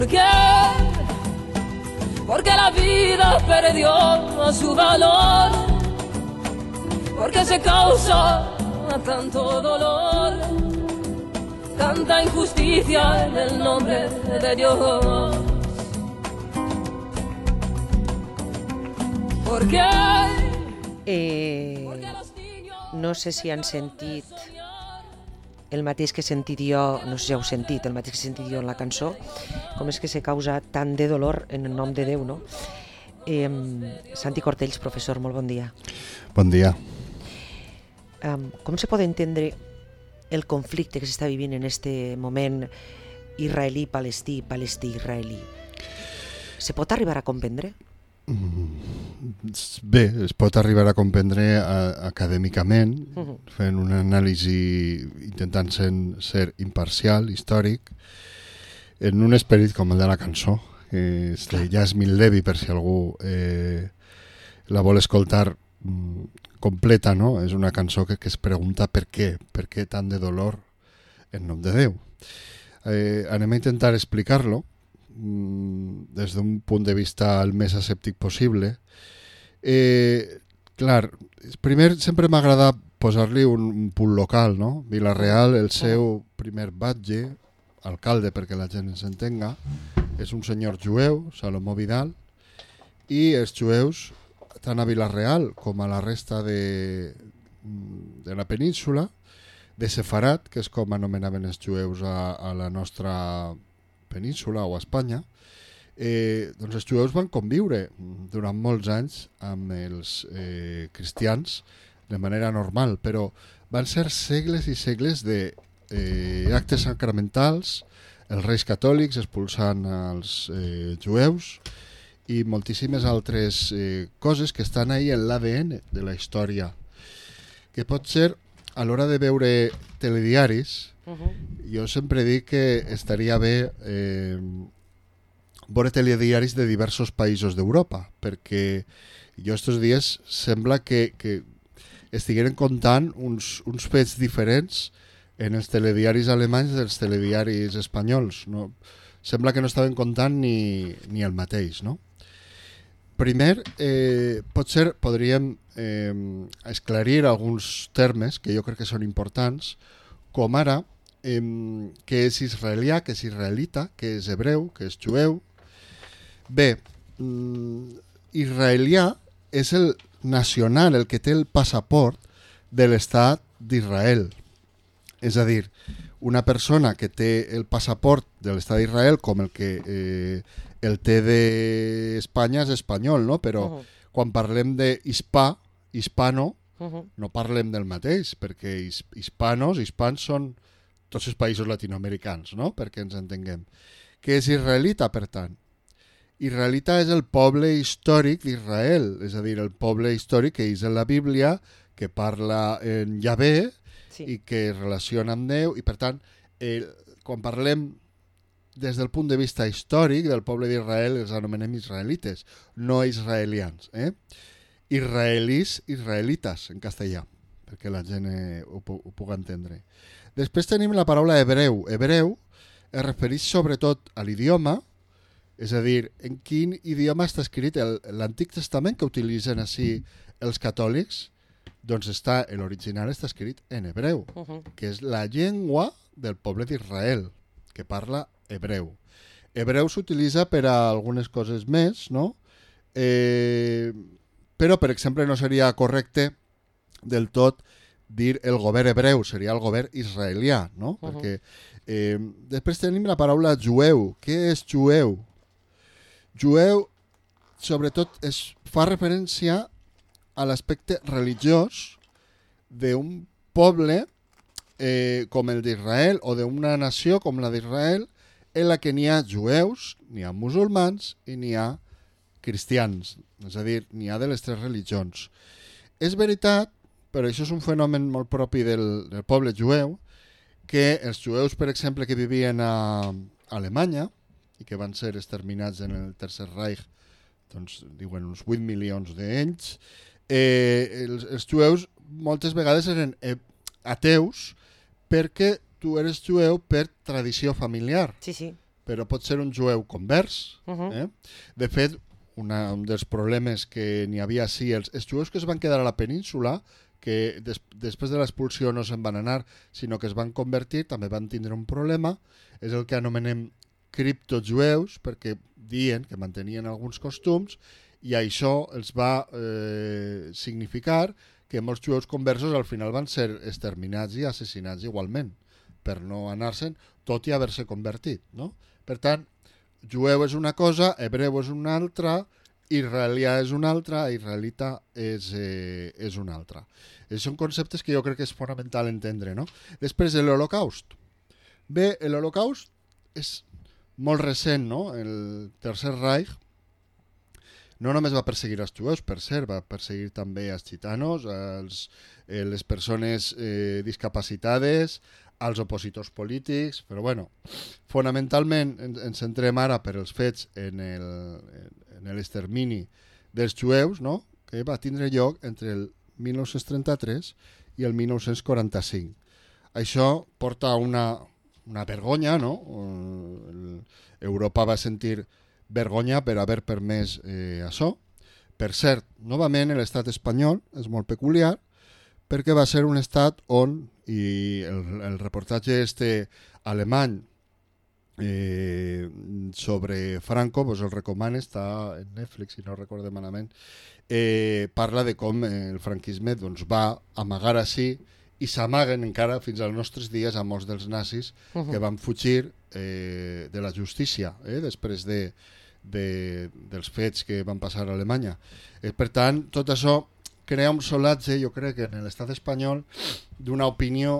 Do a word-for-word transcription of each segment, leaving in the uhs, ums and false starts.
¿Por qué? Porque la vida perdió su valor, porque se causa tanto dolor, tanta injusticia en el nombre de Dios. ¿Por qué? Eh, no sé si han sentit el mateix que he sentit jo, no sé si heu sentit, el mateix que he sentit jo en la cançó, com és que se causa tant de dolor en el nom de Déu, no? Eh, Santi Cortells, professor, molt bon dia. Bon dia. Um, com se pot entendre el conflicte que s'està vivint en este moment israelí-palestí, palestí-israelí? Se pot arribar a comprendre? Bé, es pot arribar a comprendre a, acadèmicament, uh-huh. fent una anàlisi, intentant ser, ser imparcial, històric, en un esperit com el de la cançó, que és de Yasmin Levy, per si algú eh, la vol escoltar mm, completa, no? És una cançó que, que es pregunta per què, per què tant de dolor en nom de Déu. Eh, anem a intentar explicar-lo des d'un punt de vista el més escèptic possible. Eh, clar, primer sempre m'agrada posar-li un, un punt local, no? Vila-real, el seu primer batlle, alcalde perquè la gent ens entenga, és un senyor jueu, Salomó Vidal, i els jueus, tant a Vila-real com a la resta de, de la península, de Sefarat, que és com anomenaven els jueus a, a la nostra península o a Espanya, eh, doncs els jueus van conviure durant molts anys amb els eh, cristians de manera normal, però van ser segles i segles de eh, actes sacramentals, els reis catòlics expulsant els eh, jueus i moltíssimes altres eh, coses que estan ahí en l'A D N de la història, que pot ser a l'hora de veure telediaris. Uh-huh. Jo sempre dic que estaria bé eh, veure telediaris de diversos països d'Europa, perquè jo estos dies sembla que, que estigueren contant uns, uns fets diferents en els telediaris alemanys dels telediaris espanyols. No? Sembla que no estaven contant ni, ni el mateix, no? Primer, eh, potser podríem eh, esclarir alguns termes que jo crec que són importants, com ara eh, què és israelià, què és israelita, què és hebreu, què és jueu. Bé, mm, israelià és el nacional, el que té el passaport de l'estat d'Israel. És a dir, una persona que té el passaport de l'estat d'Israel, com el que eh, el té d'Espanya és espanyol, no? Però uh-huh. quan parlem d'hispà, hispano, uh-huh. no parlem del mateix, perquè his, hispanos, hispans són tots els països latinoamericans, no? Perquè ens entenguem. Què és israelita, per tant? Israelita és el poble històric d'Israel, és a dir, el poble històric que és en la Bíblia, que parla en Yahvé sí. i que es relaciona amb Déu, i per tant, eh, quan parlem des del punt de vista històric del poble d'Israel, els anomenem israelites, no israelians. Eh? Israelis, israelites, en castellà, perquè la gent eh, ho, ho pugui entendre. Després tenim la paraula hebreu. Hebreu es refereix sobretot a l'idioma, és a dir, en quin idioma està escrit l'Antic Testament que utilitzen així els catòlics, doncs està, l'original està escrit en hebreu, uh-huh. que és la llengua del poble d'Israel, que parla hebreu. Hebreu s'utilitza per a algunes coses més, no? Eh, però, per exemple, no seria correcte del tot dir el govern hebreu, seria el govern israelià, no? Uh-huh. Perquè eh, després tenim la paraula jueu. Què és jueu? Jueu, sobretot, es fa referència a l'aspecte religiós d'un poble eh, com el d'Israel o d'una nació com la d'Israel, en la que n'hi ha jueus, n'hi ha musulmans i n'hi ha cristians, és a dir, n'hi ha de les tres religions. És veritat, però això és un fenomen molt propi del, del poble jueu, que els jueus, per exemple, que vivien a Alemanya i que van ser exterminats en el Tercer Reich, doncs diuen uns vuit milions d'ells, eh, els, els jueus moltes vegades eren eh, ateus perquè tu eres jueu per tradició familiar. Sí, sí. però pot ser un jueu convers. Eh? De fet, una, un dels problemes que n'hi havia sí, els, els jueus que es van quedar a la península, que des, després de l'expulsió no se'n van anar, sinó que es van convertir, també van tindre un problema, és el que anomenem criptojueus, perquè diuen que mantenien alguns costums, i això els va eh, significar que molts jueus conversos al final van ser exterminats i assassinats igualment, per no anar-se'n, tot i haver-se convertit. No? Per tant, jueu és una cosa, hebreu és una altra, israelià és una altra, israelita és, eh, és una altra. Eh, són conceptes que jo crec que és fonamental entendre. No? Després, l'Holocaust. Bé, l'Holocaust és molt recent, no? El Tercer Reich no només va perseguir els jueus, per cert, va perseguir també els gitanos, els, eh, les persones eh, discapacitades, als opositors polítics, però bueno, fonamentalment ens centrem ara per els fets en el, en l'extermini dels jueus, no? Que va tindre lloc entre el mil nou-cents trenta-tres i el mil nou-cents quaranta-cinc. Això porta una, una vergonya, no? Europa va sentir vergonya per haver permès eh, això. Per cert, novament l'estat espanyol és molt peculiar perquè va ser un estat on, i el, el reportatge este alemany eh, sobre Franco, pues el recomano, està en Netflix, si no recorde malament, eh, parla de com el franquisme doncs, va amagar així i s'amaguen encara fins als nostres dies a molts dels nazis uh-huh. que van fugir eh, de la justícia eh, després de, de, dels fets que van passar a Alemanya. Eh, per tant, tot això crea un solatge, jo crec, en l'estat espanyol d'una opinió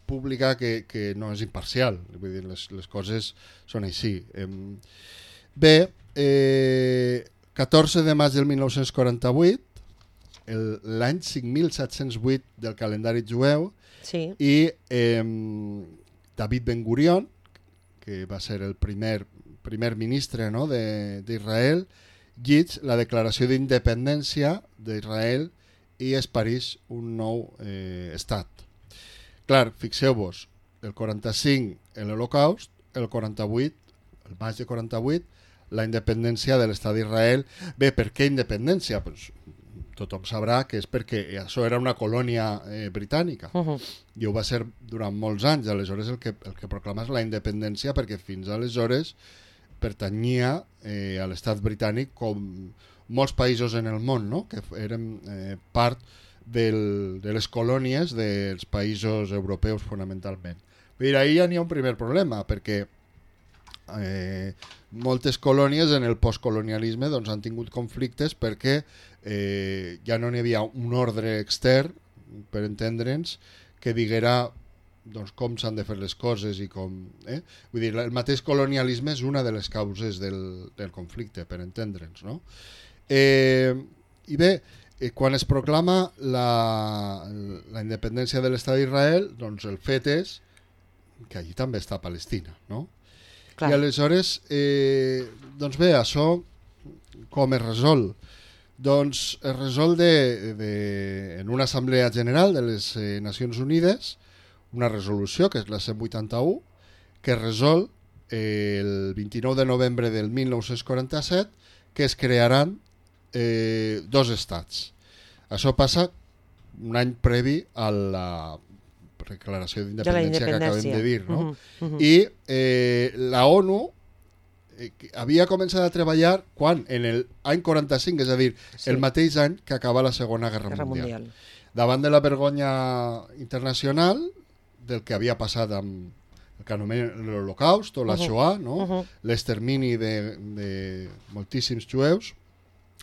pública que, que no és imparcial. Vull dir, les, les coses són així. Eh, bé, eh, catorze de maig del mil nou-cents quaranta-vuit, l'any cinc mil set-cents vuit del calendari jueu, sí. i eh, David Ben Gurion, que va ser el primer, primer ministre, no?, d'Israel, llig la declaració d'independència d'Israel i es pareix un nou eh, estat. Clar, fixeu-vos, el quaranta-cinc l'Holocaust, el quaranta-vuit, el maig de quaranta-vuit, la independència de l'estat d'Israel. Bé, per què independència? Pues, tothom sabrà que és perquè això era una colònia eh, britànica uh-huh. i ho va ser durant molts anys. Aleshores el que, el que proclama és la independència perquè fins aleshores pertanyia eh, a l'estat britànic com molts països en el món, no? Que eren eh, part del, de les colònies dels països europeus fonamentalment. Però ahir ja n'hi ha un primer problema perquè eh, moltes colònies en el postcolonialisme doncs, han tingut conflictes perquè eh, ja no n'hi havia un ordre extern, per entendre'ns, que diguera doncs, com s'han de fer les coses i com... Eh? Vull dir, el mateix colonialisme és una de les causes del, del conflicte, per entendre'ns, no? Eh, I bé, eh, quan es proclama la, la independència de l'estat d'Israel, doncs el fet és que allí també està Palestina, no? Clar. I aleshores, eh, doncs bé, això com es resol? Doncs es resol de, de, en una assemblea general de les eh, Nacions Unides, una resolució, que és la cent vuitanta-u, que resol eh, el vint-i-nou de novembre del mil nou-cents quaranta-set que es crearan eh, dos estats. Això passa un any previ a la declaració d'independència que acabem de dir, no? Uh-huh, uh-huh. I eh, la ONU eh, havia començat a treballar quan? En l'any quaranta-cinc, és a dir, sí. el mateix any que acaba la Segona Guerra, Guerra Mundial. Mundial. Davant de la vergonya internacional del que havia passat amb el que anomena l'Holocaust o la uh-huh. Shoah, no? uh-huh. l'extermini de, de moltíssims jueus,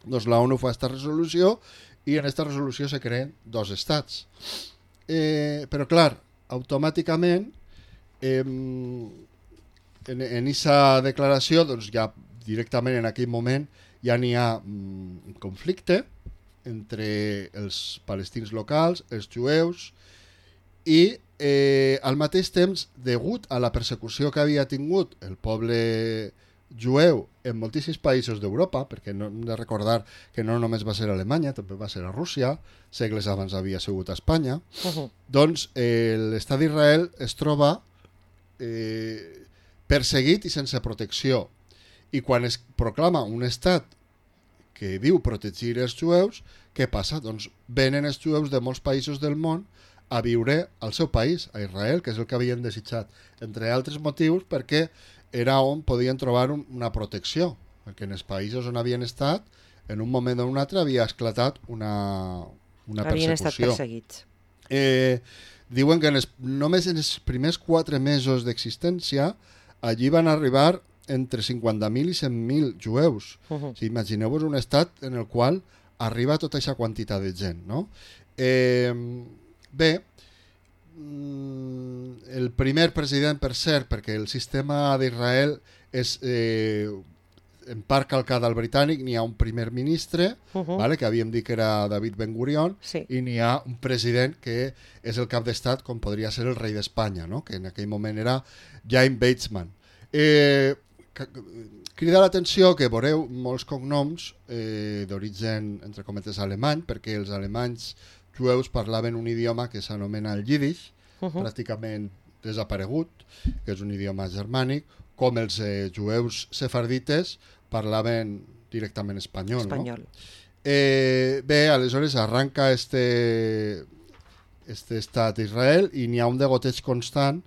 doncs la ONU fa aquesta resolució i en aquesta resolució se creen dos estats. Eh, però clar, automàticament eh, en aquesta declaració doncs ja directament en aquell moment ja n'hi ha un conflicte entre els palestins locals, els jueus, i eh, al mateix temps, degut a la persecució que havia tingut el poble jueu en moltíssims països d'Europa, perquè no hem de recordar que no només va ser a Alemanya, també va ser a Rússia, segles abans havia sigut a Espanya, uh-huh. doncs eh, l'estat d'Israel es troba eh, perseguit i sense protecció. I quan es proclama un estat que diu protegir els jueus, què passa? Doncs venen els jueus de molts països del món a viure al seu país, a Israel, que és el que havien desitjat, entre altres motius perquè era on podien trobar un, una protecció, perquè en els països on havien estat, en un moment o un altre havia esclatat una, una havien persecució. estat perseguits. Eh, diuen que en els, només en els primers quatre mesos d'existència allí van arribar entre cinquanta mil i cent mil jueus. Uh-huh. O sigui, imagineu-vos un estat en el qual arriba tota aquesta quantitat de gent, no? Eh, bé, el primer president, per cert, perquè el sistema d'Israel és eh, en part calcat al britànic, n'hi ha un primer ministre, uh-huh. vale, que havíem dit que era David Ben Gurion, sí. i n'hi ha un president que és el cap d'estat, com podria ser el rei d'Espanya, no? Que en aquell moment era Jaime Weizmann. Eh, crida l'atenció que veureu molts cognoms eh, d'origen, entre cometes, alemany, perquè els alemanys jueus parlaven un idioma que s'anomena el Yiddish, uh-huh. pràcticament desaparegut, que és un idioma germànic, com els eh, jueus sefardites parlaven directament espanyol. espanyol. No? Eh, bé, aleshores arranca este, este estat d'Israel i n'hi ha un degoteig constant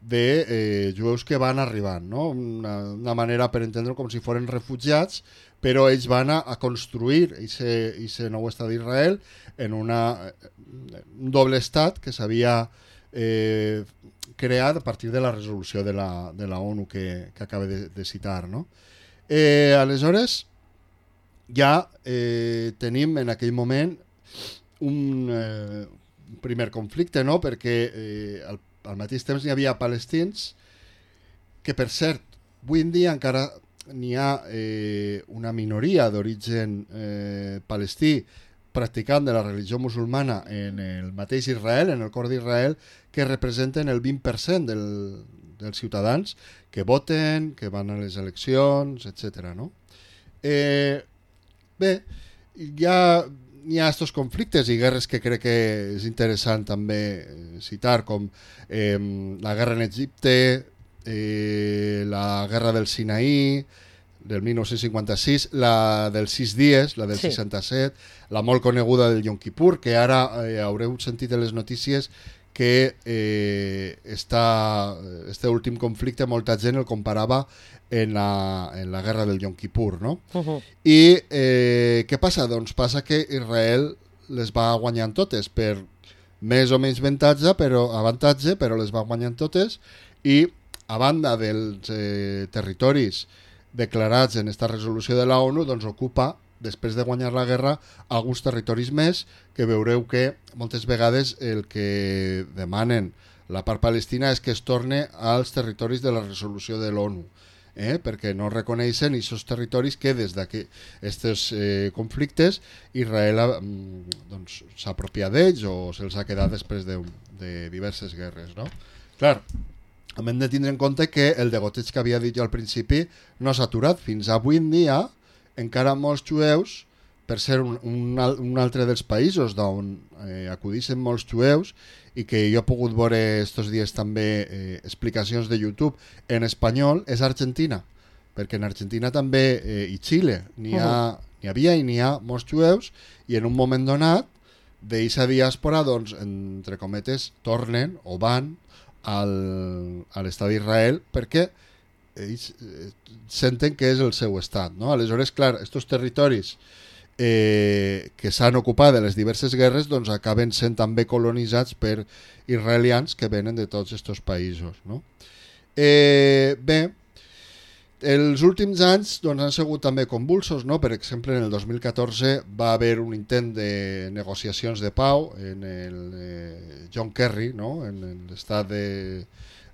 de eh, jueus que van arribant, no? Una, una manera per entendre com si foren refugiats, però ells van a, a construir aquest nou estat d'Israel en una, un doble estat que s'havia eh, creat a partir de la resolució de la, de la ONU que, que acaba de, de citar, no? Eh, aleshores ja eh, tenim en aquell moment un eh, primer conflicte, no? Perquè eh, el al mateix temps n'hi havia palestins que, per cert, avui en dia encara n'hi ha eh, una minoria d'origen eh, palestí practicant de la religió musulmana en el mateix Israel, en el cor d'Israel, que representen el vint per cent del, dels ciutadans que voten, que van a les eleccions, etcètera. No? Eh, bé, ja hi ha estos conflictes i guerres que crec que és interessant també citar, com eh, la guerra en Egipte, eh, la guerra del Sinaí, del dinou cinquanta-sis, la dels sis dies, la del sí. seixanta-set, la molt coneguda del Yom Kippur, que ara eh, haureu sentit en les notícies que eh, està, este últim conflicte molta gent el comparava en la, en la guerra del Yom Kippur, no? Uh-huh. I eh, què passa? Doncs passa que Israel les va guanyant totes per més o menys avantatge, però, avantatge, però les va guanyant totes, i a banda dels eh, territoris declarats en esta resolució de la ONU, doncs ocupa, després de guanyar la guerra, alguns territoris més, que veureu que moltes vegades el que demanen la part palestina és que es torne als territoris de la resolució de l'ONU, eh? perquè no reconeixen aquests territoris que des d'aquests eh, conflictes Israel doncs, s'ha apropiat d'ells o se'ls ha quedat després de, de diverses guerres. No? Clar, hem de tindre en compte que el degoteig que havia dit jo al principi no s'ha aturat. Fins avui en dia encara molts jueus, per ser un, un, un altre dels països d'on eh, acudixen molts jueus, i que jo he pogut veure estos dies també eh, explicacions de YouTube en espanyol, és Argentina, perquè en Argentina també, eh, i Xile, n'hi ha, n'hi havia i n'hi ha molts jueus, i en un moment donat d'aquesta diàspora, doncs, entre cometes, tornen o van al, a l'estat d'Israel perquè ells eh, senten que és el seu estat, no? Aleshores, clar, estos territoris eh, que s'han ocupat de les diverses guerres, doncs acaben sent també colonitzats per israelians que venen de tots estos països, no? Eh, bé, els últims anys doncs, han sigut també convulsos, no? Per exemple, en el dos mil catorze va haver un intent de negociacions de pau en el eh, John Kerry, no? En, en l'estat de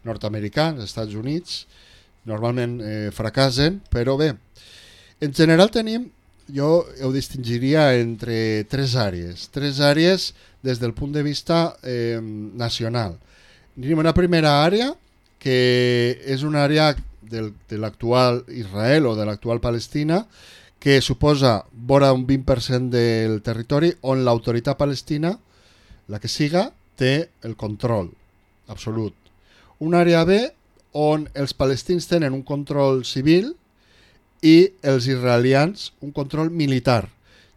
nord-americà, als Estats Units, normalment eh, fracassen, però bé, en general tenim, jo ho distingiria entre tres àrees, tres àrees des del punt de vista eh, nacional. Tenim una primera àrea, que és una àrea del, de l'actual Israel o de l'actual Palestina, que suposa vora un vint per cent del territori on l'autoritat palestina, la que siga, té el control absolut. Una àrea B on els palestins tenen un control civil i els israelians un control militar.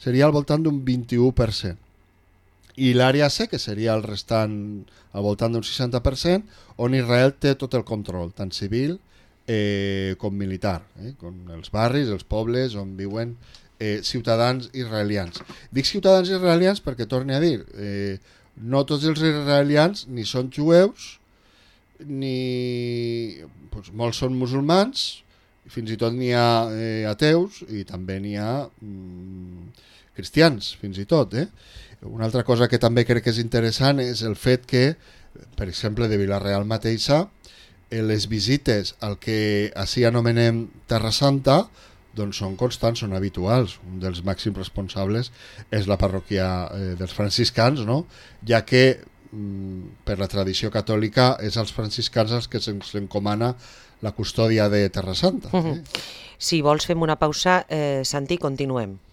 Seria al voltant d'un vint-i-u per cent. I l'àrea C, que seria el restant al voltant d'un seixanta per cent, on Israel té tot el control, tant civil eh, com militar, eh, com els barris, els pobles on viuen eh, ciutadans israelians. Dic ciutadans israelians perquè, torni a dir, eh, no tots els israelians ni són jueus, ni doncs, molts són musulmans, fins i tot n'hi ha eh, ateus i també n'hi ha mm, cristians, fins i tot. Eh? Una altra cosa que també crec que és interessant és el fet que, per exemple, de Vila-real mateixa, eh, les visites al que així anomenem Terra Santa doncs són constants, són habituals. Un dels màxims responsables és la parròquia eh, dels franciscans, no? Ja que mm, per la tradició catòlica és als franciscans els que se'ns encomana la custòdia de Terra Santa. Eh? Si vols fem una pausa, eh, Santi, continuem.